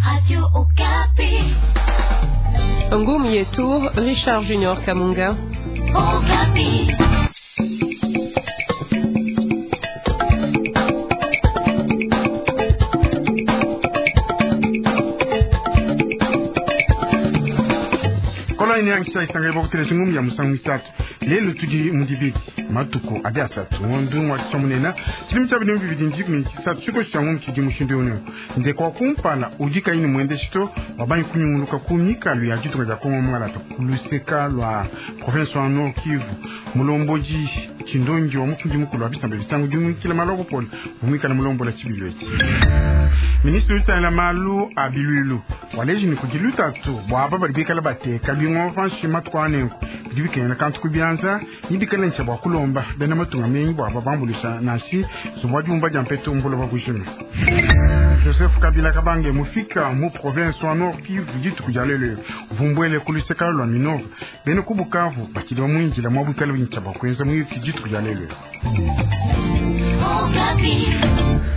Radio Okapi. Ngumu yetu Richard Junior Kamunga. Okapi. Kola ini yangisha isanga ibokutele ngumu ya musangu misatu lelo tudi mudibidi matuku adi asatu ngondu wa tshamunena tshidimu tsha bidimi bibidi ndikumi tshisatu tshiko tsha ngumu tshidi mushindu uno ndekwa kumpala udi kayi mwende shito wabanyi kunyunguluka ku mikalu ya ditunga dia Kongo Mwangalata kuluseka lwa province wa Nord Kivu mulomboji tshindongi wa mufundi mukulu wa bisamba bisangu dimwikila maloko pole umwikala mulombola tshibilu etshi ministre utangila malu a bilwilu waleji ni kudi lutatu bwaba badi bikala bateka bingoma panshi matuku anenku bidi bikengela kantu ku bianza ni bikala ntsha bua kulomba bena matunga mengi bwaba bambulisha nansi zubwa diumba dia mpetu mbulo bwa Joseph Kabila Kabange mufika mu province wa Nord Kivu dituku dia lelo vumbwele kuluseka lwa Minova bene ku Bukavu bakili bamwinjila mwa bwikala bintsha bwa kuenza mwiki dituku dia lelo Okapi.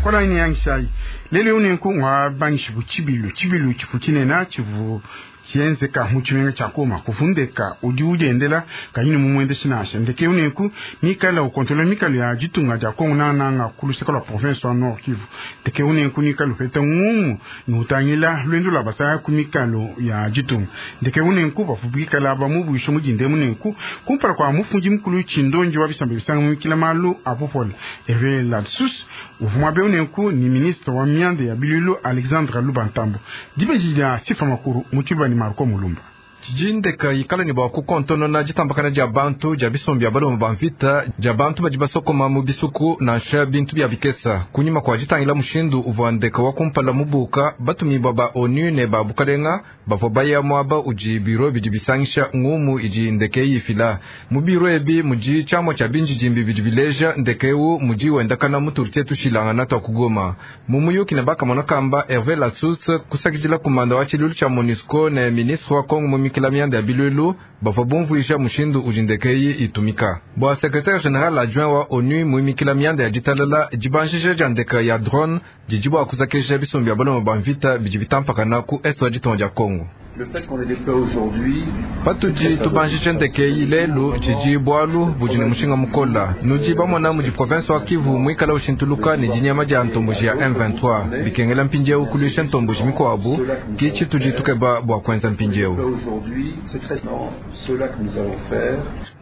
Kola ini yangishayi lelo unenku ngwa bangishibu tshibilu tshibilu tshifu tshinena tshivu tshienzeka mu tshimenga tshia Goma kufundeka udi udiendela kayini mumuende shinasha ndeke unenku nikala ukontrola mikalo ya ditunga dia Kongo nananga kuluseka lwa province wa Nord Kivu ndeke unenku nikala upeta ngumu nutangila lwendo lwa basaya ku mikalo ya ditunga ndeke unenku bafubikala bamubwisha mudinde munenku kumpala kwa mufundi mukulu tshindonji wa bisamba bisanga mukila malu apopola Hervé Ladsus uvuma be unenku ni ministre wa mianda ya bilulu Alexandre Lubantambo dibeji dia sifa makuru mutibani Marco Mulumba Tshijindeka ikala ne bua kukontonona ditambakana dia bantu dia bisumbu bia balume ba mvita dia bantu badi basokoma mu bisuku nansha bintu bia bikesa kunyima kua ditangila mushindu uvua ndeka wa kumpala mubuka batumibua ba ONU ne ba bukalenga bavua baya muaba udi biro bidi bisangisha ngumu idi ndeke yifila mu biro ebi mudi tshiamua tshia binjidimbi bidi bileja ndeke ewu mudi wendakana mu turtie tushilangana tua kugoma mu muyuki ne bakamona kamba Hervé Lassus kusakidila kumanda wa tshilulu tshia MONUSCO ne ministre wa Kongo mu mikila mianda ya bilulu bavua bumvuija mushindu udi ndeke eyi itumika bua secrétaire général adjoint wa ONU muimikila mianda ya ditalala dibanjija dia ndeka ya drone didi bua kuzakisha bisumbu bia balume ba mvita bidi bitampakana ku est wa ditunga dia Kongo. Patudi tubanjije ndeke eyi lelu tshidi bualu budi ne mushinga mukola nudi bamona mudi province wa Kivu muikala ushintuluka ne dinyama dia ntomboji ya M23 bikengela mpindieu kuluisha ntomboji mikuabu ki tshitudi tukeba bua kuenza mpindieu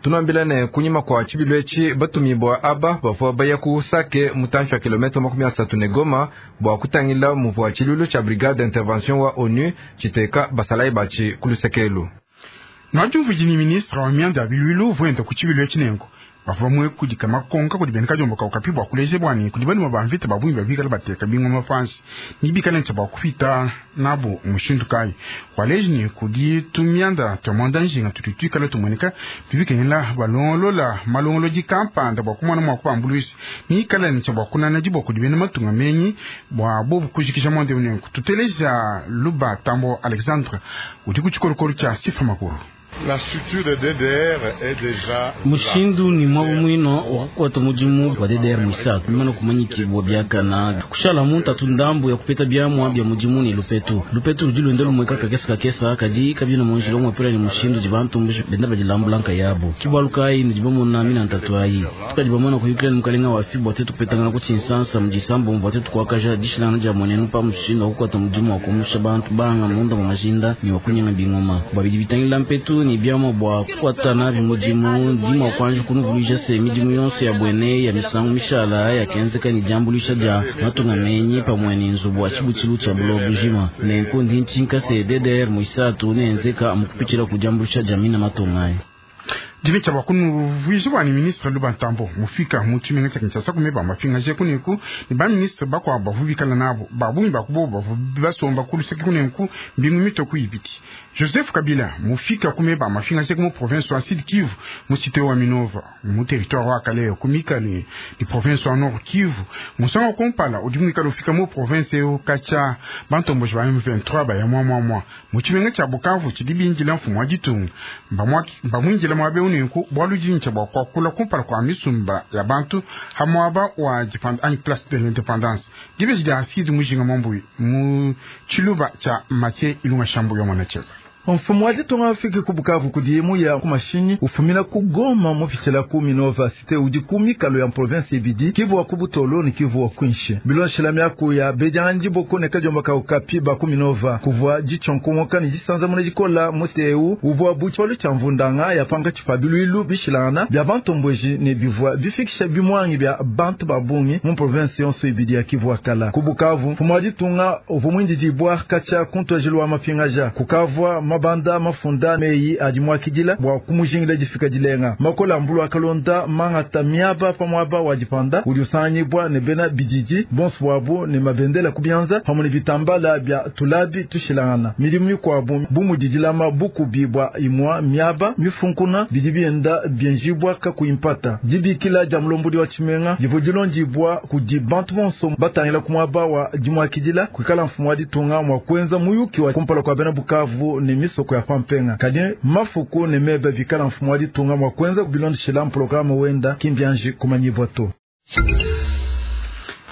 tunambila ne kunyima kwa tshibilu etshi batumibua aba bavua baya ku Sake mutantshi wa kilomita 30 ne Goma bua kutangila muvua tshilulu tshia brigade d'intervention wa ONU tshiteka basalayi batshi kulusekelu. Nwadiumvuiji ni ministre wa mianda ya bilulu vuenda ku tshibilu etshi nenku bavua mwe kudika makonka kudi bena kadiombo kaukapi bua kuleja bwani kudi balume ba mvita ba bungi babikala bateka bingoma panshi ni bikala ntsha bua kupita nabo mushindu kayi waleji ni kudi tumianda tua mwanda njinga tudi tuikala tumueneka bibikengela balongolola malongolodi kampanda bua kumona mua kubambuluisha ni ikala ntsha bua kunana diboko kudi bena matunga menyi bua bobu kujikija mwanda unenku tuteleja Luba Tambo Alexandre udi ku tshikolokolo tshia sifa makuru. La structure de DDR est déjà mushindu ni mwabo mwino wakukwata mudimu wa DDR mwisatu mimana kumanyikibwa byakana kushala muntu atu ndambu ya kupeta byamwa bya mudimu ni lupetu lupetu ludi lwenda lumweka kakesa kakesa kadi kabina munjila umwepela ni mushindu dibantu benda badilambula yabo kibwalu kayi nudi bamona mina ntatu ayi tukadi bamona kuyukila ni mukalenga wa fi bwa tetu kupetangana ku tshinsansa mudisambo bwa tetu kuakaja dishilangana dia mwenenu pa mushindu wakukwata mudimu wa kumusha bantu banga munda mwa majinda ni wakunyanga bingoma bwabidi bitangila mpetu ni byamwa bwa kukwatana bimudimu ndimwa kwanje kunuvuluija se midimu yonso ya bwene ya misangu mishala yakenzeka ni diambulisha dia matunga menyi pamwe ni nzubu wa tshibutshilu tshia buloba bujima nenku ndi ntshinka se DDR muisatu nenzeka mukupitshila ku diambulisha dia mina matunga ayi dimi tshia bakunuvuija bwani ministre Lubantambo mufika mu tshimenga tshia Kinshasa kumeba mapingaje kuneku ni ba ministre bakuabu bavu bikala nabo babungi bakubo bavu basomba kuluseke kuneku mbingu mitoko ibiti Joseph Kabila mufika kumeba mafingaje mu province wa Sud Kivu mu cité wa Minova mu territoire wa Kaleyo kumikale ni province wa Nord Kivu musanga kumpala udi mwikala ufika mu province yo kacha bantomboji ba M23 ba ya mwa mwa mwa mu tshimenga tshia Bukavu tshidi binjila mfumu wa ditunga mbamwinjila mwabe nenku bualu dintsha bua kuakula kumpala kua misumba ya bantu ha muaba wa dipanda anyi place de l'independance. Dibeji dia Aristide Mujinga Mwambui mu tshiluba tshia Mathieu Ilunga Shambu yo mwana tsheba. Mfumu wa ditunga afike ku Bukavu kudiye muya ku mashinyi ufumina ku Goma mupitshila ku Minova cité udi ku mikalo ya province ibidi Kivu wa ku Butolo ne Kivu wa Kwinshi. Bilonshela miaku ya bedianganyi diboko ne kadiomba ka Okapi ba ku Minova kuvua ditshionkomoka ne disanzamuna dikola mu cité eu uvua bu tshipalu tshia mvundanga ya pankatshi pa biluilu bishilangana bia bantomboji ne bivua bifikisha bimuangi bia bantu ba bungi mu province yonso ibidi ya Kivu wa kala. Ku Bukavu mfumu wa ditunga uvua muindidibua katshia ku ntuajilu wa mapingaja kukavua mabanda mafunda meyi adi muakidila bua kumujingila difika dilenga. Makola mbulu akalonda mangata miaba pa muaba wa dipanda udi usanganyibua ne bena bididi bonso bwabu ne mabendela kubianza pamwe ne bitambala bia tulabi tushilangana. Midimu mikuabu bu mudi dilama bukubi bua imua miaba mifunkuna bidi bienda bienjibua kakuyi mpata. Dibikila dia mulombodi wa tshimenga divua dilondibua kudi bantu bonso batangila ku muaba wa dimuakidila kuikala mfumu wa ditunga mua kuenza muyuki wa kumpala kua bena Bukavu ne misoko ya pampenga. Kadi mafuku ne mebe bikala mfumu wa ditunga mua kuenza bilondeshela programme wenda kimbianji kumanyibua to.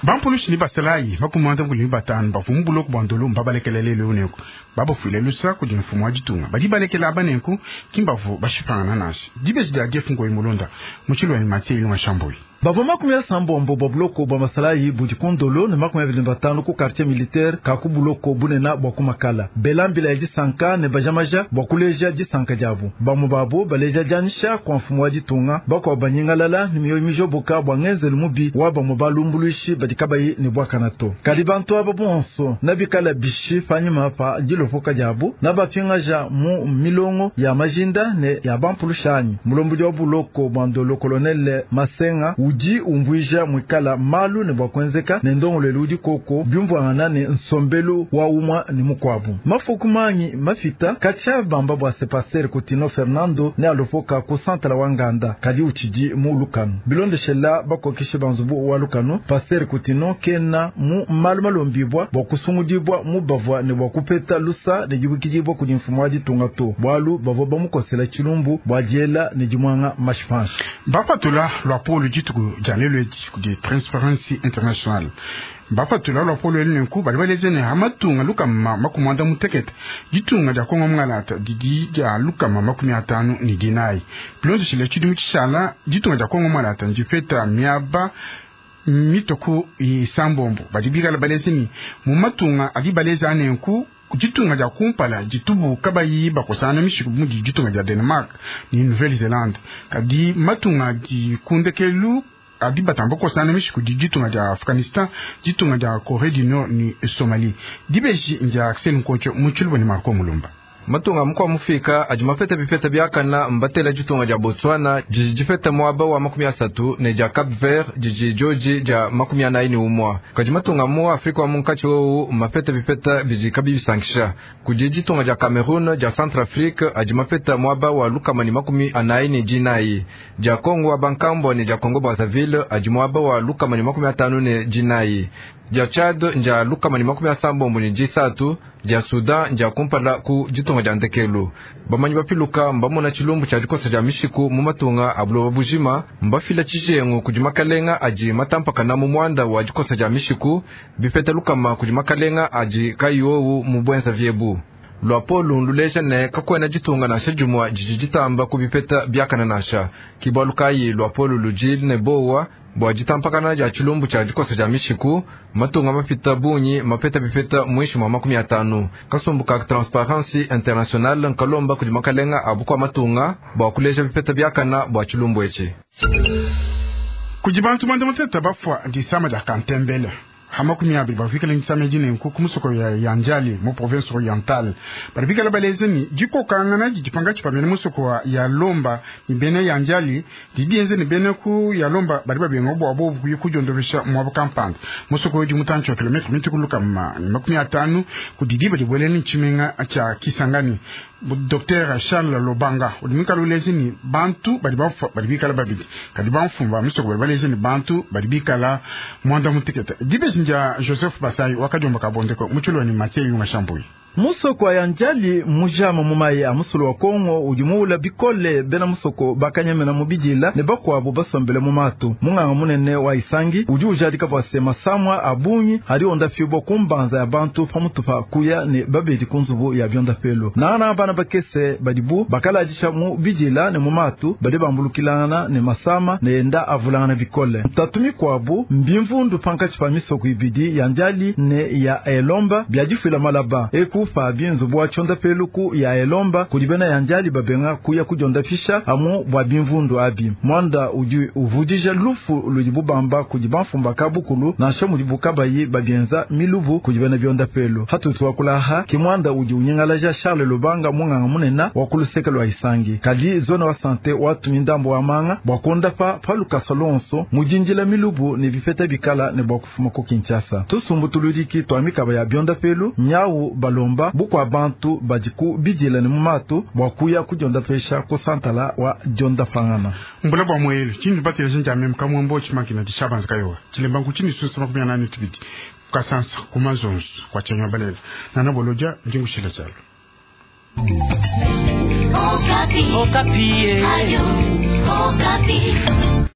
Bampulushi ni basalayi bakumanda kuli batanu bavua mu buloko bua Ndolo mbabalekela lelo nenku babafuile lusa kudi mfumu wa ditunga badi balekela aba nenku kimbavu bashipangana nansha. Dibeji dia Jeff Ngoyi Mulonda mu Tshilweni Mathieu Ilunga Shamboyi. Bavua 35 bua buloko bua masalayi budi ku Ndolo ne 25 ku quartier militaire ka ku buloko bunena bua ku Makala. Bela mbila ya disanka ne bajamaja bua kuleja disanka diabu. Bamue babo baleja dianyisha kua mfumu wa ditunga, bakuabu banyingalala ne mioyo mijoboka bua ngenzelu mubi wa bamue balumbuluishi badi kabayi ne buakana to. Kadi bantu aba bonso nabikala bishi panyima pa dilopoka diabu, nabapingaja mu milongo ya majinda ne ya bampulushanyi. Mulombodi wa buloko bua Ndolo colonel Masenga udi umvuija mwikala malu ne bua kuenzeka ne ndongoluelu udi koko biumvuangana ne nsombelu wa umua ne mukuabu. Mafuku mangi mafita katshia bamba bua se pasteur Kutino Fernando ne alopoka ku santala wa nganda kadi utshidi mu lukanu. Bilondeshela bakokeshe banzubu wa lukanu, pasteur Kutino kena mu malu malombibua bua kusungudibua mu bavua ne bua kupeta lusa ne dibukidibua kudi mfumu wa ditunga to, bualu bavua bamukosela tshilumbu bua diela ne dimuanga mashipanshi. Bapatula luapolo dituku dia lelo edi kudi Transparency International. Bapatula luapolo elu nenku badi baleze ne hamatunga 160 ditunga dia Kongo Mungalata didi dia 154. Bilondeshile tshidimu tshishala ditunga dia Kongo Mungalata ndipeta miaba mitoku isambombo badi bikala baleze ni mu matunga adi baleze anenku ditunga dia kumpala ditubu kabayi bakosana mishiku mudi ditunga dia Denmark ni Nouvelle-Zélande. Kadi matunga di kundekelu adi batamba kosana mishiku di ditunga dia Afghanistan, ditunga dia Corée du Nord ni Somalie. Dibeji ndia Axel Nkoncho mu Tshiluba ni Marco Mulumba. Matunga mukwa mufika adi mapeta bipeta biakana mbatela ditunga dia Botswana didi dipeta muaba wa 30 ne dia Cap Vert didi joji dia 41. Kadi matunga mu Afrika wa munkatshi wowu mapeta bipeta bidi kabibisankisha. Kudi ditunga dia Cameroun dia Centrafrique adi mapeta muaba wa 144. Dia Congo wa Bankambo ne dia Congo Brazzaville adi muaba wa 154. Dia Tchad ndia 163, dia Sudan ndia kumpala ku ditunga dia ndekelu. Bamanyi bapiluka mbamona tshilumbu tshia dikosa dia mishiku mu matunga a buloba bujima, mbafila tshijengu kudi makalenga adi matampakana mu muanda wa dikosa dia mishiku, bipeta lukama kudi makalenga adi kayowu mu bwenza viebu. Luapolo luleja ne kakwena ditunga nansha dimue didi ditamba kubipeta biakana nansha. Kibalu kayi luapolo ludi ne bowa bua ditampakana dia tshilumbu tshia dikosa dia mishiku, matunga mapita bungi mapeta bipeta mwishi mwa 50. Kasumbu ka Transparency International nkalomba kudi makalenga a bukua matunga bua kuleja bipeta biakana bua tshilumbu etshi. Kudi bantu mwanda mutete bafua disama dia kantembele ha 20 bavikala ngisama edi nenku ku musoko ya Yanjali mu province orientale. Badi bikala baleze ni dikokangana didi pangatshi pa bena musoko wa ya Lomba ni bena Yanjali didi enze ni bena ku ya Lomba badi babenga bua bobu kuya kudiondovesha muaba kampanda. Musoko udi mutantshi wa kilometre mituku 150 ku diba dibuele ni tshimenga tshia Kisangani. Docteur Charles Lobanga udi mwikala uleze ni bantu badi bafua badi bikala babidi kadi bamfumu ba misoko badi baleze ni bantu badi bikala mwanda mutekete. Dibeji ndia Joseph Basai wakadiomba kabondeko mu Tshilweni Mathieu Yunga Shambuyi. Musoko wa Yanjali mujama mu mayi a musulu wa Kongo udi muula bikole. Bena musoko bakanyemena mu bidila ne bakuabu basombele mu matu. Munganga munene wa Isangi udi ujadika bua se masamwa a bungi adi ondafibwa ku mbanza ya bantu pamutu pa kuya ne babedi ku nzubu ya biondapelo. Nangana bana bakese badibu bakaladisha mu bidila ne mu matu badi bambulukilangana ne masama ne enda avulangana bikole. Ntatu mikuabu mbimvundu pankatshi pa misoko ibidi ya Ndiali ne ya Elomba biadifuila malaba eku pa binzubu wa tshondapelu ku ya Elomba kudi bena ya Ndiali babenga kuya kudiondafisha amu bua bimvundu abi. Mwanda udi uvudija lufu ludi bubamba kudi bamfumba kabukulu nansha mudi bukabayi babienza milubu kudi bena biondapelu. Hatutu wakulaha ki mwanda udi unyingalaja Charles Lubanga munganga munena wa kuluseke lwa Isangi. Kadi zone wa sante watumi ndambo wa manga bua kuondapa pa lukasa lonso mujinjila milubu ne bipeta bikala ne bua kufuma ku Kinshasa. Tusumbu tuludiki twa mikaba ya biondapelu nyau balomba bukwa bantu badi ku bidila ne mumatu bua kuya kudiondapesha ku santala wa diondapangana. Mbula bua mwelu chini batela shinja mem kamwambo chimakina dishabanza kayowa chilemba nkuchini susa 82 kasansa kumazonzo kwa chanywa balela nana boloja njingushila chalo. Okapi. Okapi. Ayo, Okapi.